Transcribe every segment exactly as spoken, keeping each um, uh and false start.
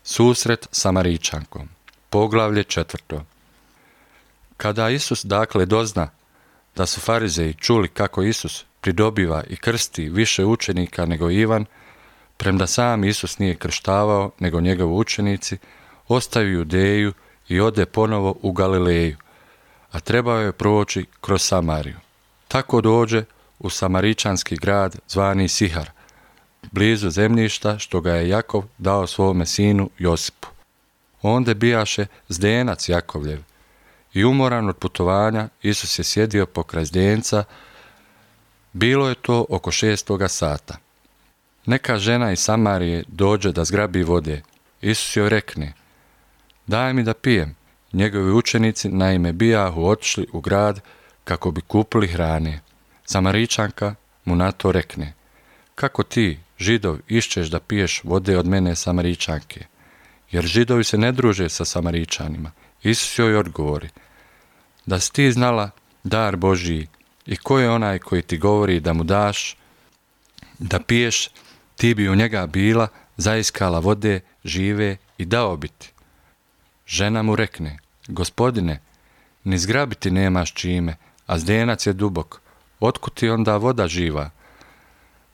Susret s Samaričankom. Poglavlje četvrto. Kada Isus dakle dozna da su farizeji čuli kako Isus pridobiva i krsti više učenika nego Ivan, premda sam Isus nije krštavao nego njegovi učenici, ostaje Judeju i ode ponovo u Galileju, a trebao je proći kroz Samariju. Tako dođe u samaričanski grad zvani Sihar, blizu zemljišta što ga je Jakov dao svome sinu Josipu. Onda bijaše zdenac Jakovljev i umoran od putovanja Isus je sjedio pokraj zdenca. Bilo je to oko šestoga sata. Neka žena iz Samarije dođe da zgrabi vode. Isus joj rekne: daj mi da pijem. Njegovi učenici naime bijahu otišli u grad kako bi kupili hrane. Samaričanka mu na to rekne: kako ti, Židov, išćeš da piješ vode od mene Samaričanke? Jer Židovi se ne druže sa Samaričanima. Isus joj odgovori: da si ti znala dar Božiji i ko je onaj koji ti govori da mu daš da piješ, ti bi u njega bila, zaiskala vode žive i dao bi ti. Žena mu rekne: gospodine, ni zgrabiti nemaš čime, a zdenac je dubok. Otkud ti onda voda živa?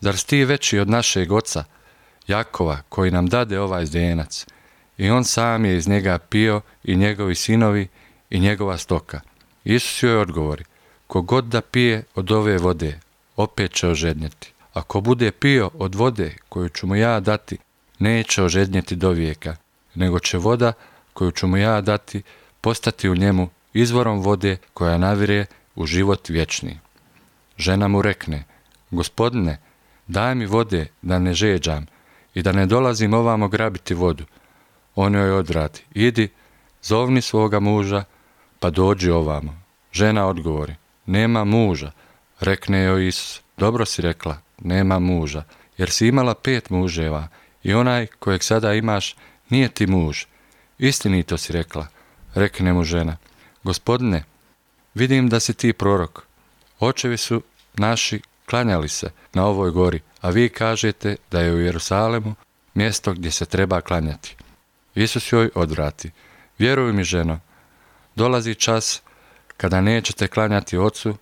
Zar si ti veći od našeg oca Jakova, koji nam dade ovaj zdenac? I on sam je iz njega pio i njegovi sinovi i njegova stoka. Isus joj odgovori: kogod da pije od ove vode, opet će ožednjeti. Ako bude pio od vode koju ću mu ja dati, neće ožednjeti do vijeka, nego će voda koju ću mu ja dati postati u njemu izvorom vode koja navire u život vječni. Žena mu rekne: gospodine, daj mi vode da ne žeđam i da ne dolazim ovamo grabiti vodu. On joj odvrati: idi, zovni svoga muža, pa dođi ovamo. Žena odgovori: nema muža. Rekne joj Isus: dobro si rekla, nema muža, jer si imala pet muževa i onaj kojeg sada imaš nije ti muž. Istinito si rekla. Rekne mu žena: gospodine, vidim da si ti prorok. Očevi su naši klanjali se na ovoj gori, a vi kažete da je u Jerusalemu mjesto gdje se treba klanjati. Isus joj odvrati: vjeruj mi, ženo, dolazi čas kada nećete klanjati Ocu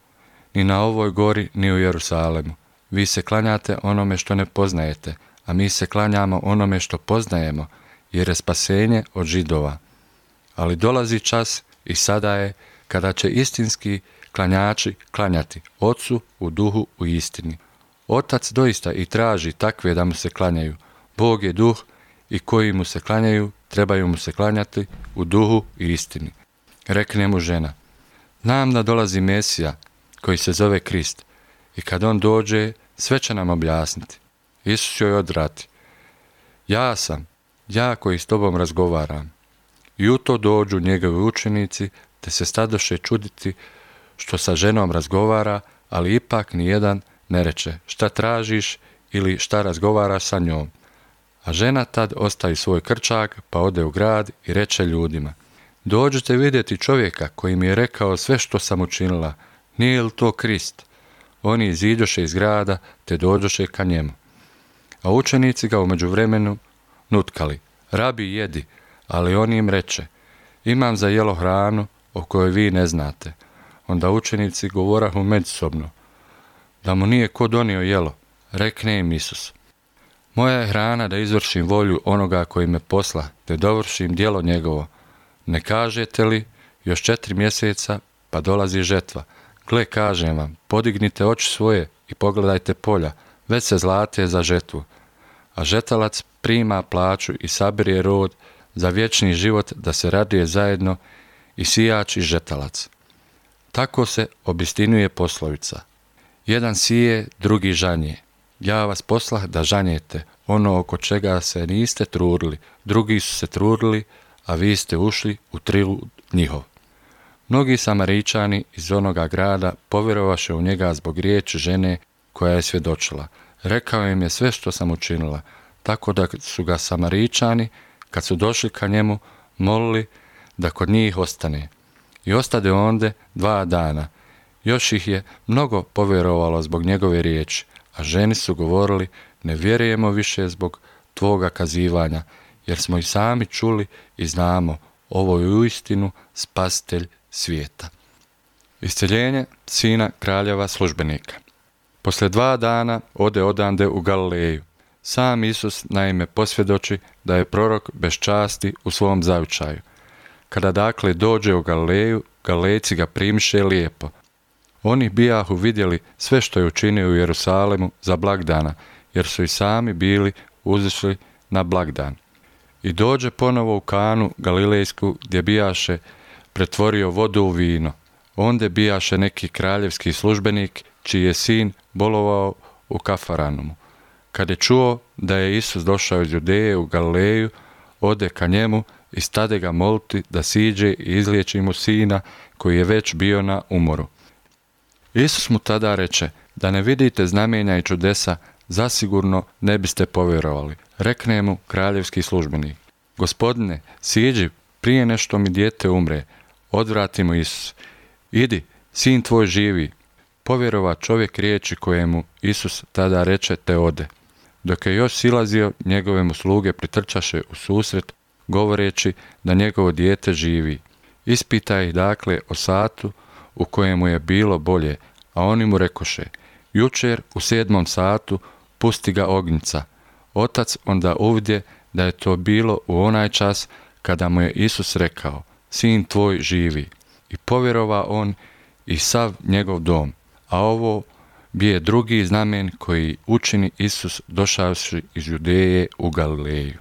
ni na ovoj gori ni u Jerusalemu. Vi se klanjate onome što ne poznajete, a mi se klanjamo onome što poznajemo, jer je spasenje od Židova. Ali dolazi čas i sada je kada će istinski klanjači klanjati Ocu u duhu u istini. Otac doista i traži takve da mu se klanjaju. Bog je duh i koji mu se klanjaju trebaju mu se klanjati u duhu i istini. Rekne mu žena: znam da dolazi Mesija koji se zove Krist i kad on dođe sve će nam objasniti. Isus joj odvrati: ja sam, ja koji s tobom razgovaram. I u to dođu njegovi učenici te se stadoše čuditi što sa ženom razgovara, ali ipak nijedan ne reče: šta tražiš ili šta razgovaraš sa njom. A žena tad ostavi svoj krčak pa ode u grad i reče ljudima: dođite vidjeti čovjeka koji mi je rekao sve što sam učinila, nije li to Krist? Oni iziđoše iz grada te dođoše ka njemu. A učenici ga u međuvremenu nutkali: rabi, jedi. Ali on im reče: imam za jelo hranu o kojoj vi ne znate. Onda učenici govorahu međusobno: da mu nije ko donio jelo. Rekne im Isus: moja je hrana da izvršim volju onoga koji me posla, te dovršim djelo njegovo. Ne kažete li, još četiri mjeseca pa dolazi žetva? Gle, kažem vam, podignite oči svoje i pogledajte polja, već se zlate za žetvu. A žetalac prima plaću i sabire rod za vječni život, da se raduje zajedno i sijač i žetalac. Tako se obistinjuje poslovica: jedan sije, drugi žanje. Ja vas poslah da žanjete ono oko čega se niste trudili, drugi su se trudili, a vi ste ušli u trud njihov. Mnogi Samaričani iz onoga grada povjerovaše u njega zbog riječi žene koja je svjedočila: rekao im je sve što sam učinila. Tako da su ga Samaričani, kad su došli ka njemu, molili da kod njih ostane. I ostade onde dva dana. Još ih je mnogo povjerovalo zbog njegove riječi, a ženi su govorili: ne vjerujemo više zbog tvoga kazivanja, jer smo i sami čuli i znamo, ovo je uistinu spasitelj svijeta. Isceljenje sina kraljeva službenika. Poslije dva dana ode odande u Galileju. Sam Isus naime posvjedoči da je prorok bez časti u svom zavičaju. Kada dakle dođe u Galileju, Galilejci ga primiše lijepo. Oni bijahu vidjeli sve što je učinio u Jerusalemu za blagdana, jer su i sami bili uzišli na blagdan. I dođe ponovo u Kanu Galilejsku, gdje bijaše pretvorio vodu u vino. Onde bijaše neki kraljevski službenik, čiji je sin bolovao u Kafaranumu. Kad je čuo da je Isus došao iz Judeje u Galileju, ode ka njemu i stade ga moliti da siđe i izliječi mu sina koji je već bio na umoru. Isus mu tada reče, da ne vidite znamenja i čudesa, zasigurno ne biste povjerovali. Rekne mu kraljevski službenik, Gospodine, siđi prije nešto mi dijete umre. Odvrati mu Isus, idi, sin tvoj živi. Povjerova čovjek riječi kojemu Isus tada reče te ode. Dok je još silazio, njegove mu sluge pritrčaše u susret, govoreći da njegovo dijete živi. Ispita ih dakle o satu u kojemu je bilo bolje, a oni mu rekoše, jučer u sedmom satu pusti ga ognjica. Otac onda uvidje da je to bilo u onaj čas kada mu je Isus rekao, sin tvoj živi. I povjerova on i sav njegov dom. A ovo bije drugi znamen koji učini Isus došavši iz Judeje u Galileju.